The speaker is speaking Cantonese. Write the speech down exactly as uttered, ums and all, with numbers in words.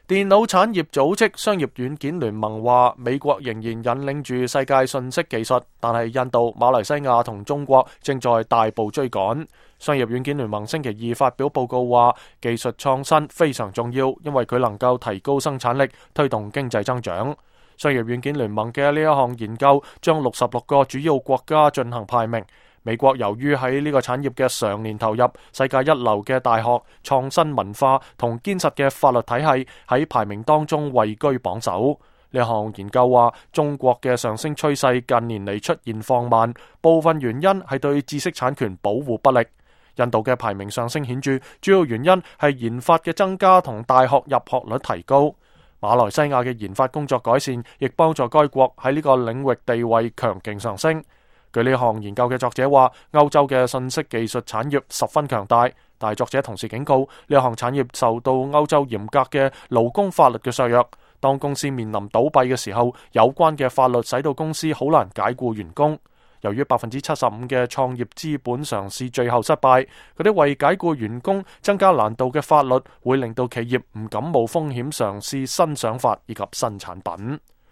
電腦產業組織商業軟件聯盟話，美國仍然引領住世界信息技術，但係印度、馬來西亞同中國正在大步追趕。商業軟件聯盟星期二發表報告話，技術創新非常重要，因為佢能夠提高生產力，推動經濟增長。商業軟件聯盟嘅呢一項研究將六十六個主要國家進行排名。美國由於喺呢個產業嘅常年投入，世界一流嘅大學、創新文化同堅實嘅法律體系喺排名當中位居榜首。呢項研究話，中國嘅上升趨勢近年嚟出現放慢，部分原因係對知識產權保護不力。印度嘅排名上升顯著，主要原因係研發嘅增加同大學入學率提高。馬來西亞嘅研發工作改善，亦幫助該國喺呢個領域地位強勁上升。據呢項研究嘅作者話，歐洲嘅信息技術產業十分強大，但係作者同時警告，呢項產業受到歐洲嚴格嘅勞工法律嘅削弱。當公司面臨倒閉嘅時候，有關嘅法律使到公司好難解僱員工。由於百分之七十五嘅創業資本嘗試最後失敗，嗰啲為解僱員工增加難度嘅法律會令到企業唔敢冒風險嘗試新想法以及新產品。